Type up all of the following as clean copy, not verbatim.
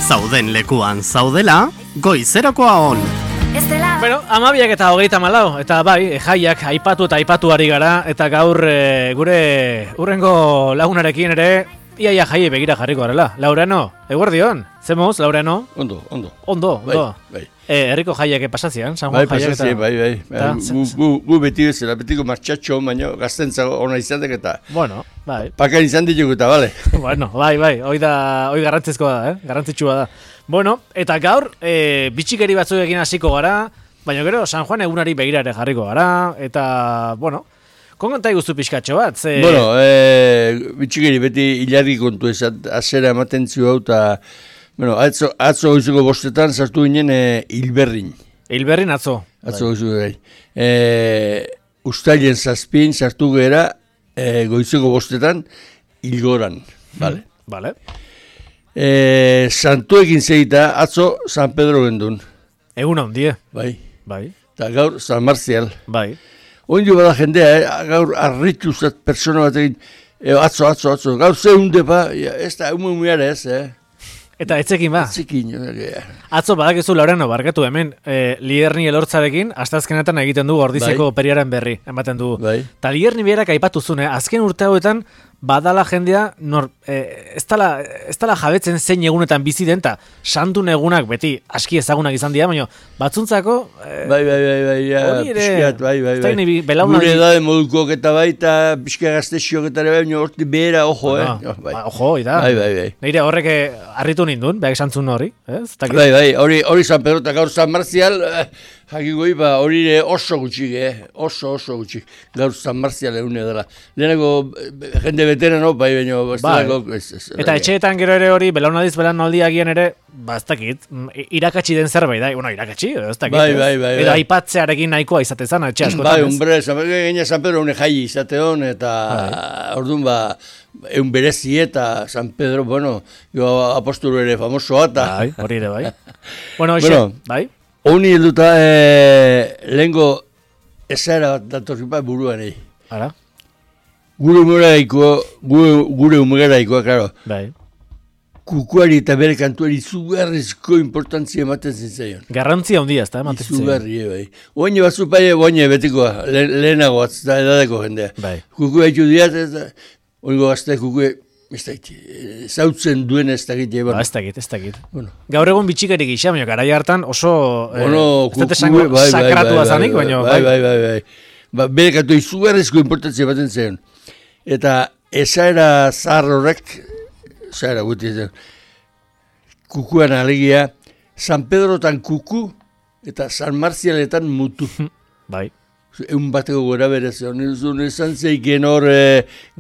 Zauden lekuan zaudela, goizerakoa on. Bueno, 12:34 eta bai, jaiak aipatu eta aipatu ari gara, eta gaur gure urrengo lagunarekin ere iaia jaie begira jarriko garela. Laureano, eguerdion, zemuz, Laureano? Ondo. Bai. Herriko jaiak pasatzean, San Juan jaiak eta... Bai. Gu beti bezala, betiko martxatxo, baina gaztentzago ona izatek eta... Bueno, bai. Pakan izan ditugu eta, bale? Bueno, bai, hoi garrantzizkoa da, garrantzitsua da. Bueno, eta gaur, bitxikeri batzuekin hasiko gara, baina gero San Juan egunari begira ere jarriko gara, eta, bueno, konta iguzu pixkatxo bat, ze... Bueno, bitxikeri beti hilarri kontu ezat, azera ematen zio hau, eta, bueno, atzo goizuko bostetan sartu ginen Hilberrin. Hilberrin atzo. Atzo goizuko gai. Uztailen zazpin sartu gera goizuko bostetan Hilgoran, bale. Bale. Santuekin zeita, atzo San Pedro gendun. Egun handie. Bai. Eta gaur San Marcial. Bai. Oindio bada jendea, gaur arritu zat persona batekin, atzo. Gaur zehunde ba, ez da, umumiara ez, Eta etzekin ba? Etzekin. Atzo badakizu Laureano barkatu hemen, Lierni elortzarekin, astazkenetan egiten du Ordizeko periaren berri, ematen du. Bai. Ta Lierni berak aipatu zune, azken urte hauetan, badala jendea, ez dala jabetzen zein egunetan bizi den, eta santun egunak beti aski ezagunak izan dira, baina batzuntzako... Bai, hori ere... Piskat, bai. Gure edade modukok eta bai, eta pixka gaztexiok eta bai, baina horti behera, ojo, Ojo, da. Bai. Neire horrek harritu nindun, behar esantzun hori. Bai, hori San Pedro eta gaur San Marcial, jakigoi, hori oso gutxik, oso gutxik. Gaur San Marcial egune dela. Lehenako jende veterano, bai, baina... Eta etxeetan gero ere hori, belaunaldiz belaunaldiagian ere, ez dakit, irakatsi den zerbait, irakatsi, ez dakit. Bai. Edo aipatzearekin nahikoa izatezan, etxe askotan. Bai, hombre, San Pedro une jai izateon, eta orduan egun berezi eta San Pedro, bueno, apostolo ere famosoa, eta... Bai, hori ere, bai. Bueno, bai. Honi helduta, lehenko ezaera bat datorripa buruan egin. Ara? Gure humegaraikoa, klaro. Bai. Kukuari eta bere kantuari izugarrizko importantzia ematen zintzaion. Garrantzia handia, ez da, ematen zintzaion. Izugarri, bai. Oaine batzu pai, oaine betikoa, lehenago bat, da edadeko jendea. Bai. Kukua haitu diat, ez da, oingo gazte kukue, ez dakit, zautzen duen ez dakit. Ez dakit. Bueno. Gaur egun bitxikari gisa, baina garai hartan oso... Kukue, sakratua zanik, baina... Bai. Bere kantua izugarrizko importantzia ematen zen. Eta ezaera zahar horrek, ezaera guti zen, kukuan alegia, San Pedrotan kuku eta San Marcialetan mutu. Bai. Egun bateko gora berez, esan zeiken hor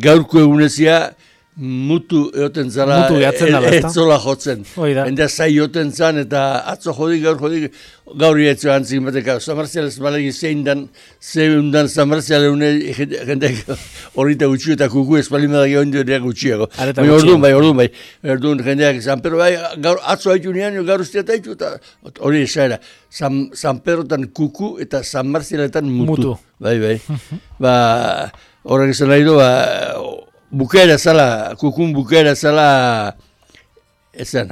gaurko egunezia, mutu eoten zara, ez zola jotzen. Endea zai eoten zan, eta atzo jodik, gaur ietzo antzik bateka. San Marcial ez balegi zein dan San Marcial egune jendek horrita gutxio eta kuku ez balimadak egon dira gutxiago. Orduan bai. Orduan jendeak San Pedro bai, atzo haitu nian, gaur usteat haitu, eta hori esaera. San Pedrotan kuku eta San Marcialetan mutu. Bai. Horrek esan nahi du, bukaera zala, kukun bukaera zala, ezan.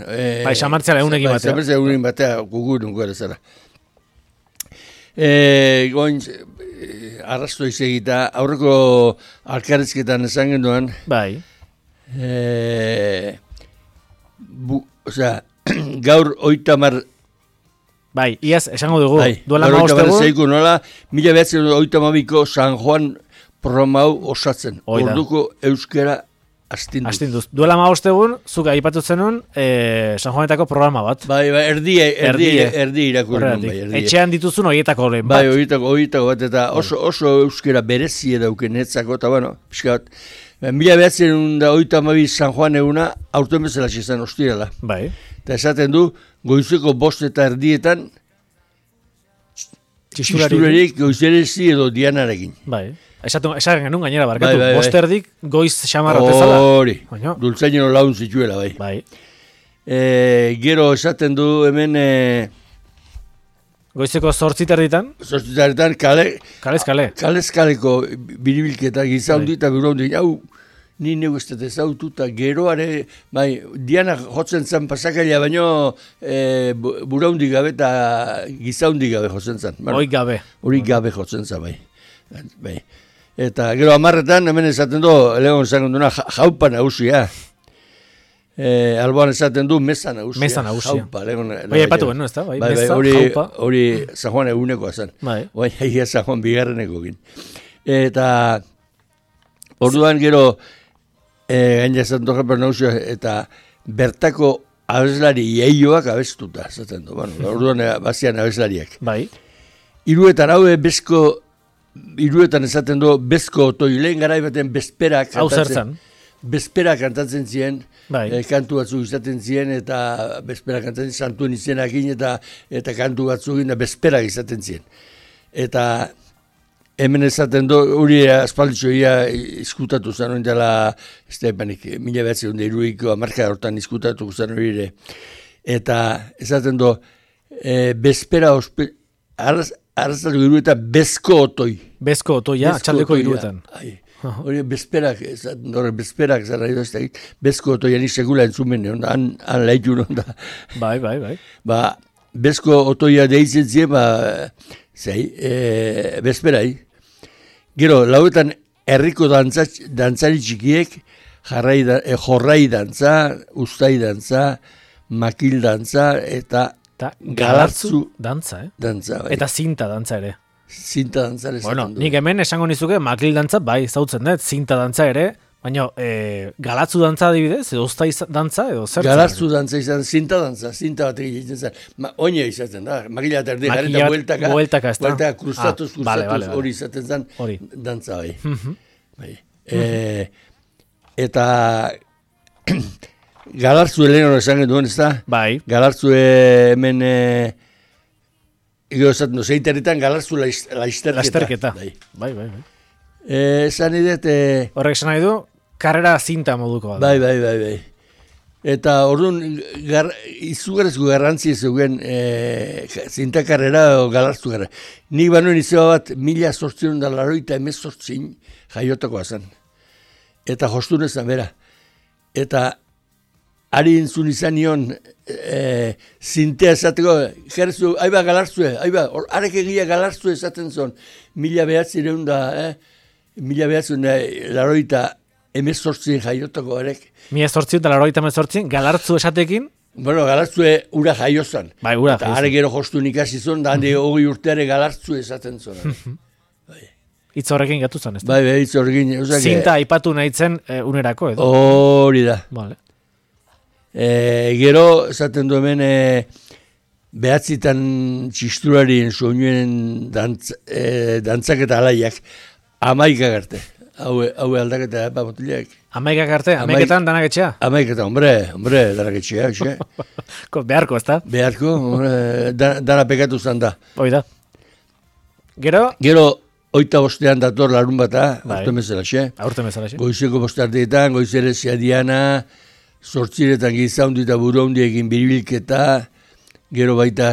San Marcial egunekin batea. San Marcial egunekin batea, kukun bukaera zala. Goin, arrasto izegita, aurreko alkarrizketan esan genduan. Bai. Gaur 30... Bai, iaz, esango dugu. Duela maostegun. Nola, 1982ko San Juan programau osatzen. Orduko euskera astinduz. Duela maostegun, zuk aipatu zenun, San Juanetako programa bat. Bai, erdi irakurren. Etxean dituzun horietako bat. Bai, horietako bat, eta oso euskera berezie dauken etzako, eta bueno, pixka bat. 1982 San Juan eguna, aurten bezala izan ostirala. Bai. Eta esaten du, goizeko 5 eta erdietan, txisturarik goizerezi edo dianarekin. Bai. Esaten genuen gainera barkatu. Bai. Bosterdik goiz xamarra bezala. Hori. Dultzaino laun zituela, bai. Gero esaten du hemen... Goizeko 8 erditan? 8 erditan, Kalez kale. Kalez kaleko biribilketa giza hundi eta buru hundi. Hau, ni neu ez dut ezautu, eta geroare, bai, Diana jotzen zen pasakaila, baino buraundi gabe eta gizaundi gabe jotzen zen. Hori gabe. Hori gabe jotzen zen, bai. Eta gero 10etan, hemen esaten du, legon zangon duna, jaupa nagusia. Alboan esaten du mesa nagusia. Mesa nagusia. Jaupa, bai, epatu ben, no, ez da? Bai, mesa, jaupa. Hori San Juan egunekoa zen. Bai. Bai, San Juan bigarreneko gin. Eta orduan gero, gaina esaten du jaupa nagusia, eta bertako abeslari iaioak abestuta, esaten du. Bueno, orduan bazian abeslariak. Bai. Hiruetan haue Hiruetan esaten du bezko otoi, lehen garai baten bezperak kantatzen ziren, kantu batzuk izaten ziren, eta bezperak kantatzen ziren, santuen izenakin, eta kantu batzuk bezperak izaten ziren. Eta hemen esaten du, hori aspalditxoia izkutatu zen, hori dela, ez da, 1902ko marka hortan izkutatu zen hori ere. Eta esaten du, bezpera arrazatu iruetan bezko otoi. Bezko otoia, txaldeko iruetan. Hori bezperak zara edo ez da, bezko otoia ni segula entzumen, han laitu non da. Bai. Bezko otoia deitzen zien, bezperai. Gero, lauetan herriko dantzari txikiek, jorrai dantza, ustai dantza, makil dantza, eta galartzu dantza, Dantza, bai. Eta zinta dantza ere. Zinta dantza ere. Bueno, nik hemen esango nizuke makil dantza, bai, zautzen dut, zinta dantza ere, baina galatzu dantza adibidez, edo ustai dantza, edo zer? Galatzu dantza izan, zinta batek egiten zen. Oine izaten da, makila eta erdi garen eta bueltaka, krustatuz, hori izaten zen, dantza bai. Eta Galartzu Eleno esan duen, ez da? Bai. Galartzu hemen, esaten du, zeiteretan Galartzu laizterketa. Bai. Esan idet... Horrek esan nahi du, karrera zinta moduko. Bai. Eta orduan, izugarrezko garrantzi zegoen zinta karrera o Galartzu karrera. Nik banuen izeba bat 1888 jaiotakoa zen. Eta jostun ezan bera. Eta ari entzun izan nion zintea esateko, jerzu, aiba Galartzue, arek egia Galartzue esaten zon, 1988 jaiotako arek. 1988 Galartzu esatekin? Bueno, Galartzue ura jaiozan. Bai, ura jaiozan. Eta arek ero jostun ikasi zon, da handi 20 urteare Galartzue esaten zon. Itz horrekin gatu zen, ez da? Bai, itz horrekin. Zinta aipatu nahi zen unerako, edo? Hori da. Vale. Gero, esaten du hemen, behatzitan txisturarien soinuen dantzak eta alaiak, 11 arte. Hau aldaketa, botileak. 11 arte? 11etan danak etxea? 11etan, hombre, danak etxea. Beharko, ez da? Beharko, dana pekatu zan da. Hoi da. Gero? Gero, 25 dator larun bata, aurten bezalaxe. Goizeko bostardietan, goizere Diana, 8 gizaundi eta buraundi egin biribilketa, gero baita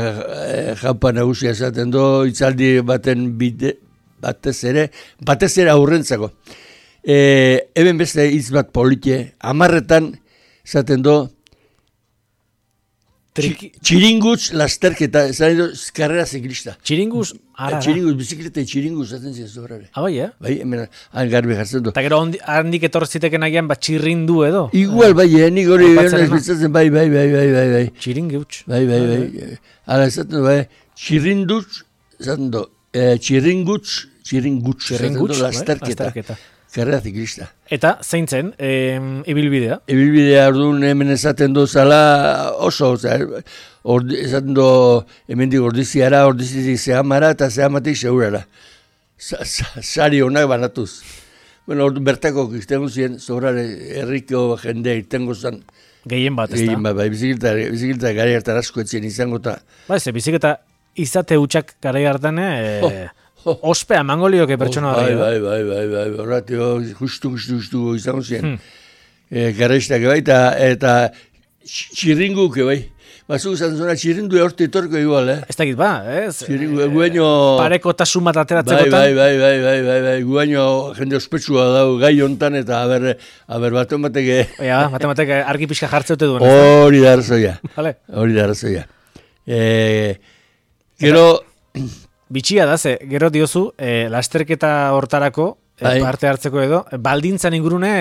jaupa nagusia esaten do, itzaldi batez ere aurrentzako. Eben beste hitz bat polite, 10etan esaten do, txiringutz lasterketa, esan edo, karrera ziklista. Txiringutz, ara. Txiringutz, bizikleta txiringutz, zaten ziren zobrare. Bai, Bai, hemen, garbi jartzen du. Eta gero handik etortziteken agian, txirrindu edo? Igual, bai, nik hori biztatzen, bai. Txiringutz. Bai. Hala, esaten du, bai, txirrindutz, esaten du, txiringutz, lasterketa. Karrera ziklista. Eta, zein zen, ibilbidea? Ibilbidea orduan hemen esaten du zala oso, esaten du hemendik ordiziara, ordizitik zehamara eta zehamatik segurara. Sari honak banatuz. Bueno, orduan bertako iztengo ziren, zobrare herriko jende irtengo zen. Gehien bat, ez da? Gehien bat, bai, bizikleta gari hartan asko etzien izango eta... Ba, ez, bizikleta izate hutsak gari hartan, ospea mangolioke pertsona hori. Bai, horratio, justu izango ziren. Garraiztak bai, eta Txirringuke, bai. Bazuk izan zuna, txirrindu horti etorko igual, Ez dakit ez? Txirringu, guaino... Pareko tasun bat ateratzekotan? Bai, guaino jende ospetsua dau gai hontan, eta aber baten bateke... Baten bateke argi pixka jartzeute duen. Hori da arrazoia. Hori da arrazoia. Gero... Bitxia da, gero diozu, lasterketa hortarako, parte hartzeko edo, baldintzan ingurune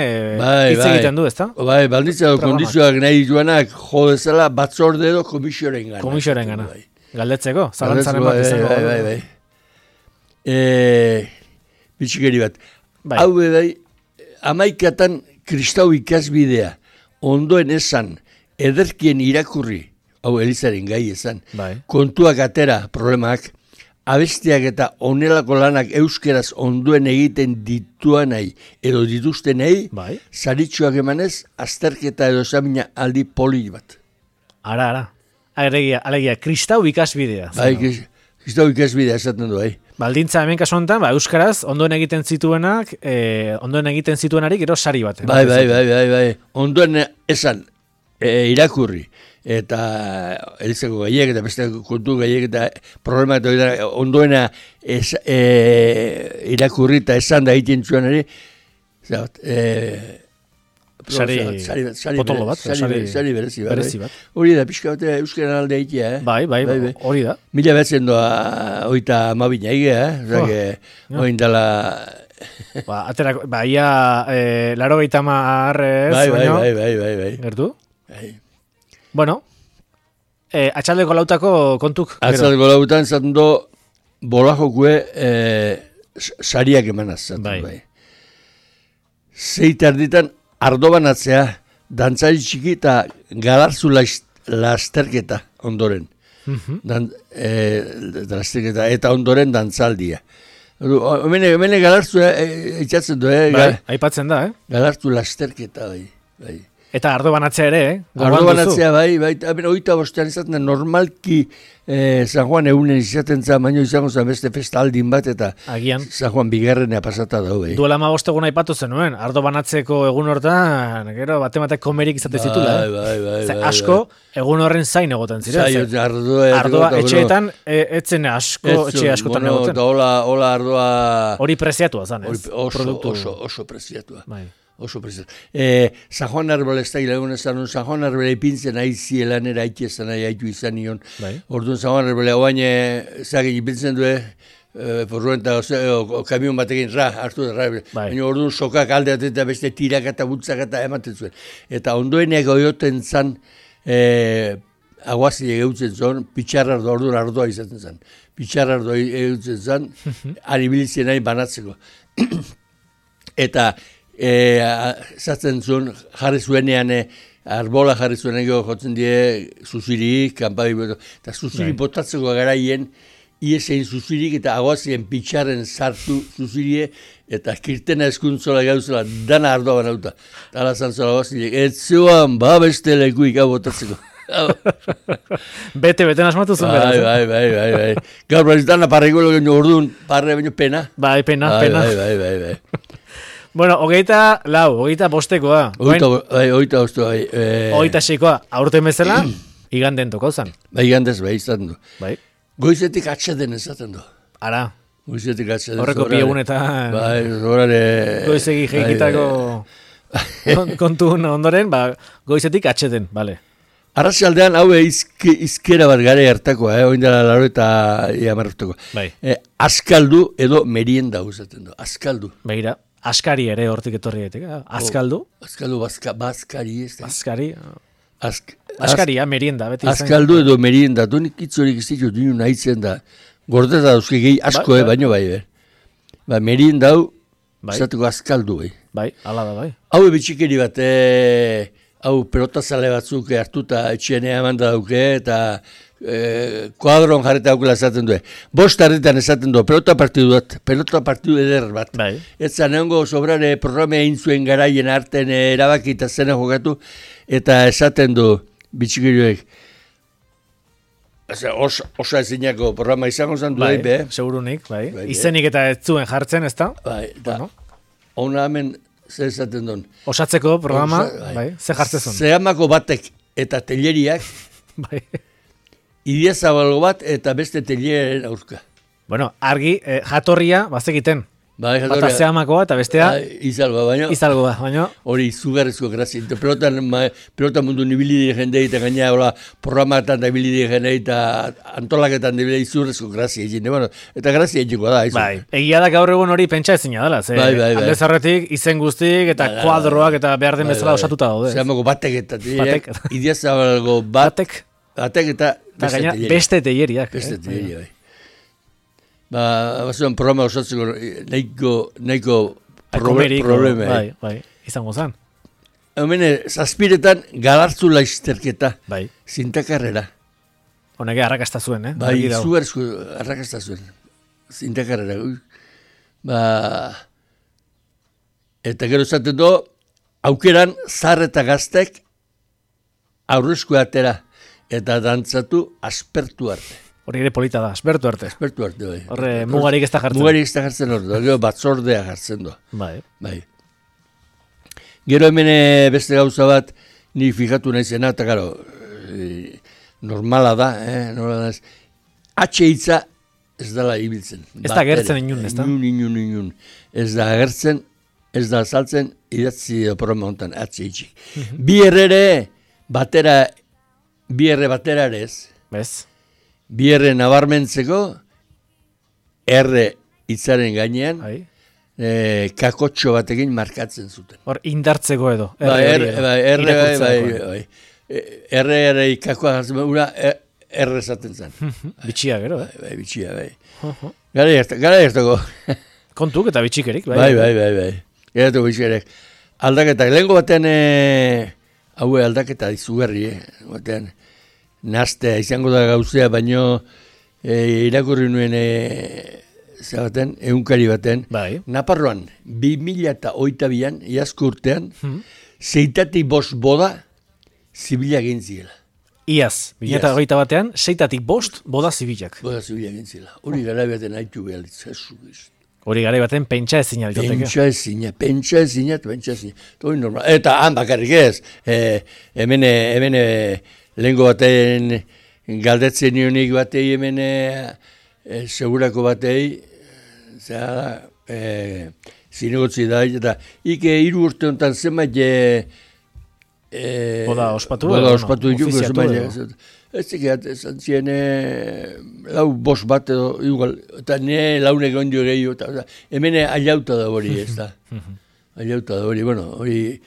hitz egiten du, ezta? Bai, baldintza kondizioak nahi duenak jo dezala batzorde edo komisioaren gana. Komisioaren gana. Galdetzeko, zalantzaren bat izango. Bai. Bitxikeri bat. Hau bai, 11 kristau ikasbidea, ondoen esan, ederkien irakurri, hau Elizaren gai esan, kontuak atera problemak, abestiak eta onelako lanak euskeraz onduen egiten dituanai edo dituztenei, saritxoak emanez, azterketa edo zamina aldi poli bat. Ara. Alegia, kristau ikasbidea. Bai, kristau ikasbidea esaten du, Baldintza hemen kasu honetan, euskaraz, ondoen egiten zituenarik, gero sari bat. Bai. Ondoen esan, irakurri. Eta Elizako gaiek eta beste kontu gaiek eta problema eta ondoena irakurri eta esan da egiten zuenari potolo bat, sari berezi bat. Hori da, pixka bat euskaren alde egitea. Bai, hori da. Mila betzen doa oita amabina egia, oin dala... Ia laro gaitama arrez, bai. Gertu? Bai. Bueno, atxaldeko lautako kontuk. Atxaldeko lautan zaten do bolajokue sariak emanaz zaten. Bai. Zeitarditan ardo banatzea, dantzari txiki eta galarzu lasterketa ondoren. Lasterketa eta ondoren dantzaldia. Hemen galarzu eitzatzen du, aipatzen da, Galarzu lasterketa, bai. Eta ardo banatzea ere, Ardo banatzea, bai. Oita bostean izaten da, normalki San Juan egunen izaten zen, baino izango zen beste festa aldin bat, eta agian San Juan bigarrenea pasata dau, bai. Duela 15 egun aipatu zenuen, ardo banatzeko egun hortan, gero batematek komerik izate zitula. Bai. Asko, egun horren zain egoten ziren. Ardoa etxeetan, etzen etxe askotan egoten. Hola ardoa... Hori preziatua zan, ez? Oso preziatua. Bai. Oso preziatu. San Juan Arbel ez da hilagun ezan, San Juan Arbel ipintzen aizi elanera aitzezan aitu izan nion. Orduan San Juan Arbel hauain zagin ipintzen du, porruen eta kamion batekin hartu da. Baina orduan sokak aldeat eta beste tirak eta butzak eta ematen zuen. Eta ondoeneak oioten zan, aguazile geutzen zuen, pitxarrardo orduan ardoa izaten zan. Pitxarrardo geutzen zan, aribilizien nahi banatzeko. Eta zaten zuen, jarri zuenean, arbola jarri zuenean jotzen die zuzirik, kanpabi, eta zuzirik botatzeko garaien, iesein zuzirik eta agoazien pitxaren sartu zuzirie, eta kirtena eskuntzola gauzela, dana ardoa banauta. Tala zantzola agoazilek, ez zuan, beste lekuik hau botatzeko. Bete asmatu zuen beraz. Bai. Gaur bariz dana parreiko orduan, parre baino pena. Bai, pena. Bai. Bueno, 25 bostekoa. 26 26koa, aurten bezala, iganden toko zan. Bai, igandez, izaten du. Bai. Goizetik atxeden ezaten du. Ara. Goizetik atxeden. Horreko piegunetan. Bai, horare... Goizegi jeikitako kontu ondoren, goizetik atxeden, bale. Arratsaldean hau izkera bat gare hartakoa, oindela laro eta iamarratuko. Bai. Askaldu edo merienda uzaten du. Askaldu. Begira. Askari ere hortik etorri gaitek, askaldu? Askaldu, baskari ez da. Askaria, merienda, beti izan. Askaldu edo merienda, dunik itzorik ez ditu dinu nahitzen da. Gordeta dauzke gehi asko, baino bai. Merienda hau, izateko askaldu, bai. Bai, ala da, bai. Hau bitxikeri bat, hau pelotazale batzuk hartuta etxenea eman da dauke, eta kuadron jarreta aukela esaten du. 5 harritan esaten du, pelota partidu eder bat. Bai. Ez zanengo sobrare programa egin zuen garaien arten erabaki eta zena jokatu, eta esaten du bitxikirioek. Osa ezinako programa izango zen du. Bai, segurunik, bai. Izenik eta ez zuen jartzen, ez da? Bai, eta hona hemen zer esaten duen. Osatzeko programa, bai, ze jartzen zuen. Zehamako batek eta teleriak, bai. Idiazabalgo bat eta beste teleriaren aurka. Bueno, argi, jatorria, bazekiten. Bai, bata zehamakoa eta bestea izalgoa, baina hori izugarrizko grazia. Pelota mundu nibilide jendei eta gaina programatan da nibilide jendei eta antolaketan da izugarrizko grazia egin. Bueno, eta grazia egiko da. Bai, egia da gaur egun hori pentsa ezina dela. Bai. Alde zarretik, izen guztik eta kuadroak eta behar den bezala osatuta daude. Zehamago batek eta Idiazabalgo batek eta beste teieriak. Beste teieriak, bai. Bazuan programa osatzeko nahiko problema. Bai, izango zen. Hemen, zazpiretan galartzu laizterketa. Bai. Zintakarrera. Honek arrakasta zuen, Bai, zuerzko arrakasta zuen. Zintakarrera. Eta gero zaten do, aukeran zar eta gaztek aurrezko atera eta dantzatu aspertu arte. Hori ere polita da, aspertu arte. Aspertu arte, bai. Horre, mugarik ez da jartzen. Mugarik ez da jartzen hori, gero batzordea jartzen do. Bai. Gero hemen beste gauza bat, ni fijatu naizena, eta gero, normala da, H hitza ez dala ibiltzen. Ez da gertzen inun, ez da? Inun. Ez da gertzen, ez da saltzen, idatzi programa honetan, H hitzik. Bi erre batera ere ez. Bez? Bi erre nabarmentzeko, erre hitzaren gainean, kakotxo batekin markatzen zuten. Hor, indartzeko edo. Erre kakoa jartzen, ura erre esaten zen. Bitxia gero, Bai, bitxia, bai. Gara ertoko. Kontuk eta bitxikerik, bai. Gara ertoko bitxikerik. Aldaketak, lehenko batean, haue aldaketa izugarri, batean, naztea izango da gauzea, baino irakurri nuen zabaten, egunkari baten, Naparroan, 2008an, iazko urtean, 6-5 boda zibila gintziela. Iaz, 2008 batean, 6-5 boda zibilak. Boda zibila gintziela. Hori gara baten haitu behar ditzazu. Hori gara baten pentsa ezina ditoteke. Pentsa ezina. Hori normal. Eta han bakarrik ez. Hemen lehenko baten galdetzen nionik batei hemen segurako batei zinegotzi da eta ike 3 urte honetan zenbait boda ospatu ditu ez zikat esan zien 4-5 bat edo igual eta ne launek ondio gehiago hemen aiauta da hori ez da aiauta da hori bueno hori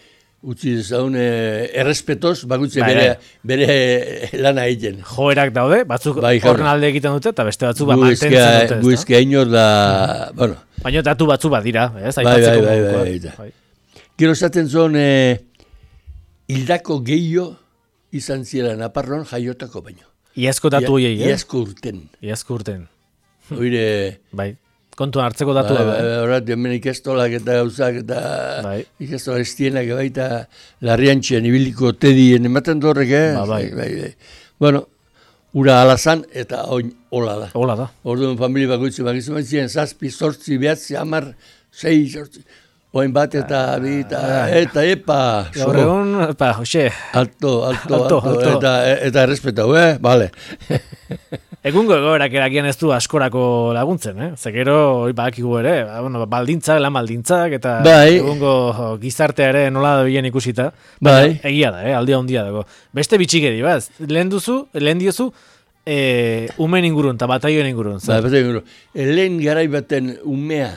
utzi dezaun errespetoz, bakutzen bere lana egiten. Joerak daude, batzuk horren alde egiten dute, eta beste batzuk mantentzen dute. Guizkia inor da, bueno. Baina datu batzu bat dira, ez? Bai. Gero zaten zon, hildako gehiago izan ziela Naparron jaiotako baino. Iazko datu horiei, Iazko urten. Oire... Bai. Kontuan hartzeko datu da. Horat, hemen ikastolak eta gauzak eta ikastolak estienak baita larriantxean ibiliko tedien ematen dorrek, Bai. Bueno, ura alazan eta hola da. Orduan familia bakoitzen bakizu ziren, 7, 8, 9, 10, 6, 8, oin bat eta bi eta epa. Gaur egun, hoxe. Alto. Eta errespetau, Vale. Egungo egoerak erakian ez du askorako laguntzen, Zekero, hori badakigu ere, baldintzak, lan baldintzak, eta egungo gizartea ere nola da bilen ikusita. Egia da, aldia handia dago. Beste bitxikeri, lehen diozu, umen ingurun, eta bataioen ingurun. Lehen garai baten umea,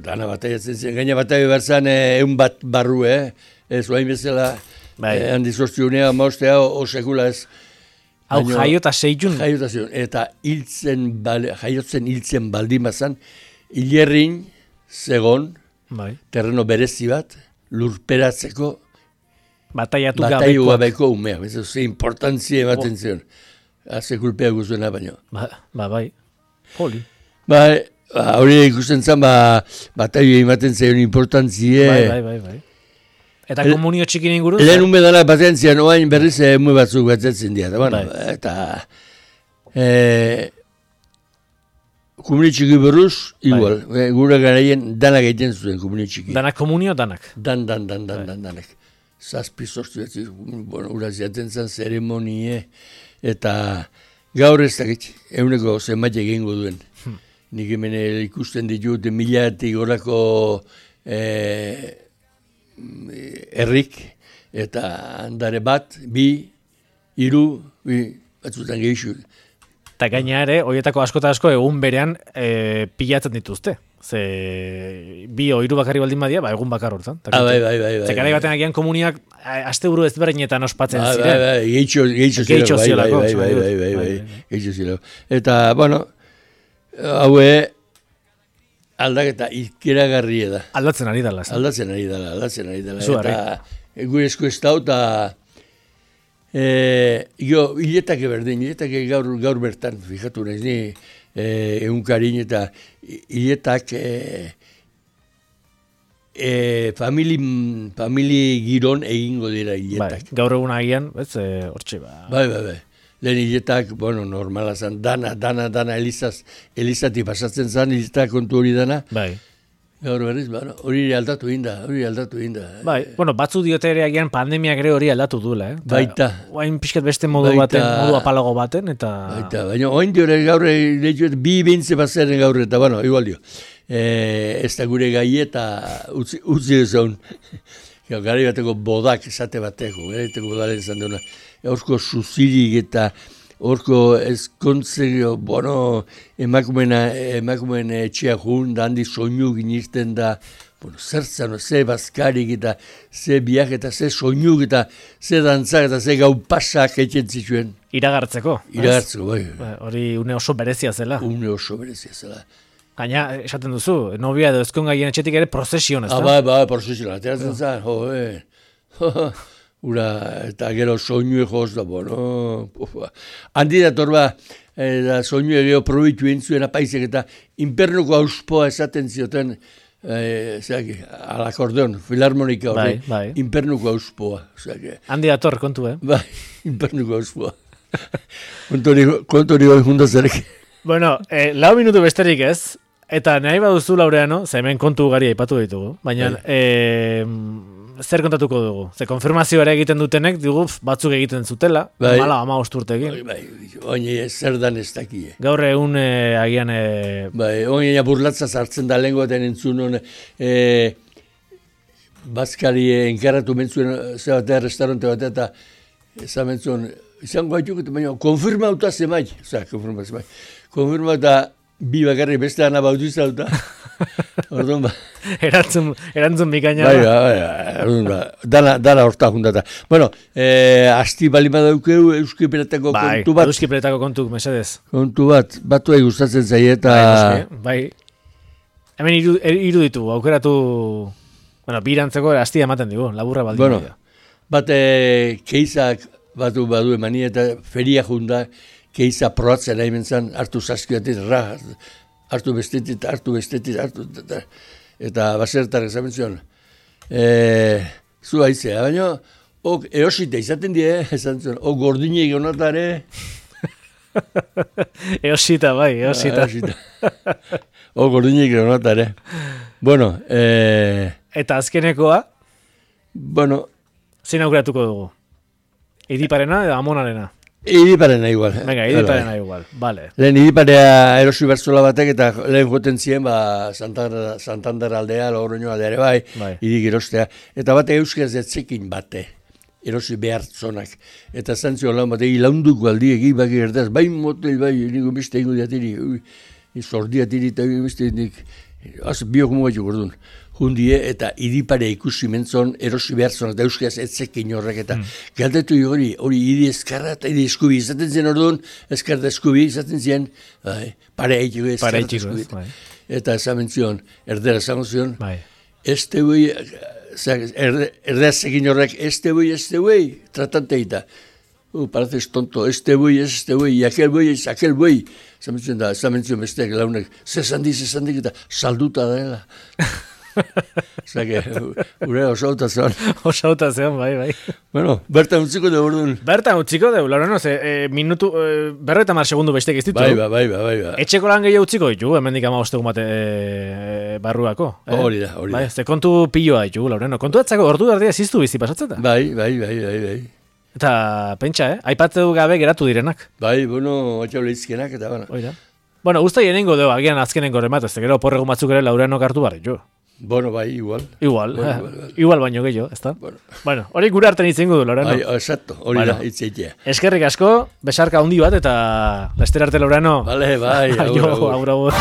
dana bataiatzen zen, gaina bataio berzan egun bat barru, ez oain bezala, handi sortziunea, maustea, osekula ez. Hau jaiota seitun. Eta jaiotzen hiltzen baldimazan, hilerrin zegon, terreno berezi bat, lurperatzeko bataiatu gabeko umea. Ze importantzia ematen zion. Haze kulpea guztuena baino. Bai. Poli. Hori ikusten zen, bataio ematen zion importantzia. Bai. Eta komunio txikin inguruz? Lehen umedana batean zian, oain berriz emu batzuk batzatzen dira. Eta komunio txiki berruz, igual. Gure garaien danak egiten zuen komunio txiki. Danak komunio, danak? Danak. zazpi sortu, uraz jaten zen zeremonie, eta gaur ez dakit, eguneko zenbait egingo duen. Nik hemen ikusten ditut milatik horako herrik, eta handare bat, bi, hiru, batzutan gehiago. Eta gaina ere, horietako asko eta asko egun berean pilatzen dituzte. Ze bi o hiru bakarri baldin badia, egun bakar hortan. Bai. Ze garai batean agian komuniak asteburu ezberdinetan ospatzen ziren. Bai, gehiago ziren. Eta, bueno, haue aldaketa ikeragarria da. Aldatzen ari dela. Aldatzen ari dela. Eta gure esku ez da, eta hiletake berdin, hiletake gaur bertan, fijatu nahiz ni, egunkarin eta hiletak famili giron egingo dira hiletak. Bai, gaur egun agian, hortxe ba. Bai. Lehen hiletak, normala zen, dana elizatik pasatzen zen, hiletak kontu hori dana. Bai. Gaur berriz, hori aldatu inda. Bai, batzu diote ere agian pandemiak ere hori aldatu duela, Baita. Oain pixkat beste modu baten, modu apalago baten, eta... Baita, baina oain diore gaur, bi bintze bazaren gaur, eta igual dio. Ez da gure gai eta utzi ezaun. Gari bateko bodak esate bateko, gariteko bodaren izan duena. Horko suzirik eta horko ezkontzeko, emakumeen etxea jun, da handi soinu ginirten da, zertzano, ze bazkarik eta ze biak eta ze soinu eta ze dantzak eta ze gau pasak etxen zituen. Iragartzeko. Bai. Hori une oso berezia zela. Gaina, esaten duzu, nobia edo ezkon gaien etxetik ere prozesion, ez da? Bai, prozesion, ateratzen zen, Ura, eta gero soinu egoz da, handi dator soinu egeo probitu entzuen apaizek eta inpernuko auspoa esaten zioten, alakordeon, filarmonika hori, inpernuko auspoa. Handi dator, kontu, Bai, inpernuko auspoa. Kontu hori hori jundazarek. 4 minutu besterik ez, eta nahi baduzu Laureano, hemen kontu gari aipatu ditugu, baina... Zer kontatuko dugu? Ze konfirmazio ere egiten dutenek, batzuk egiten zutela, mala 15 urtekin. Oine zer dan ez dakie. Gaur egun agian... Oine burlatza zartzen da lengoaten entzun, bazkari enkarratu mentzuen zebatea, restaurante bat, eta ezan mentzuen, izango haituk, baina konfirmauta zemai. Konfirmauta bi bakarri beste ana bautizauta. Orduan Erantzun bikaina. Dana horta jundata. Asti balima daukeu Euskiperetako kontu bat. Euskiperetako kontu, mesedez. Kontu bat, batu gustatzen zaie eta... Bai. Hemen iruditu, aukeratu... Birantzeko astia ematen digu, laburra baldin. Bat keizak batu badu emani eta feria junda, keiza proatzen nahi mentzan, hartu saskiatik, hartu bestetit, eta basertar ezamen zion. Zu haizea, baina, eosita izaten die, esan zion, gordine egionatare. Eosita, bai, eosita. Gordine egionatare. Eta azkenekoa? Zein aukeratuko dugu? Idiparena edo Amonarena? Idiparena igual. Venga, Idiparena igual, vale. Lehen Idiparea erosi bertzola batek eta lehen joten ziren, Santander aldea, Logroño aldea ere bai, Idik erostea. Eta bate euskaz etzekin bate, erosi behartzonak. Eta zantzio lan bate, ilaunduko aldi egi baki gertaz, bai motel, bai, niko beste ingo diatiri, zordiatiri eta beste nik, biok mugaitu gordun. Hundie eta Idiparea ikusi mentzon erosi behartzonak eta euskaz etzekin horrek eta galdetu hori idi eskarra eta idi eskubi izaten zen orduan, eskarra eskubi izaten zen, pare haitiko eskarra eskubi. Eta esamen zion, erdera esamen zion, ez teuei, erdeazekin horrek, ez teuei, tratante eta, pareces tonto, ez teuei, y aquel buey, esamen zion besteak launek, zesandik eta salduta dela. Osake, gure osauta zean. Osauta zean, bai. Bueno, bertan utziko dugu orduan. Bertan utziko dugu, Laurano, minutu, berreta mar segundu besteik ez ditu. Bai. Etxeko lan gehiago utziko ditu, hemendik 15 egun bate barruako. Hori da. Bai, ze kontu pilloa ditu, Laurano. Kontu atzako, ordu erdia ziztu bizi pasatzeta? Bai. Eta, pentsa, aipatu gabe geratu direnak. Bai, atxau lehizkenak eta bana. Oida. Bueno, usta jenengo dugu, agian azkenengo remat, ez gero porregun batzuk ere Laureano hartu barri, jo. Bueno, bai, igual. Igual baino gehiago, ez da? Bueno, hori gure hartan itzengo du, Laureano. Bai, exacto, hori da, itzeitea. Eskerrik asko, besarka handi bat, eta lester arte, Laureano. Vale, bai, agur.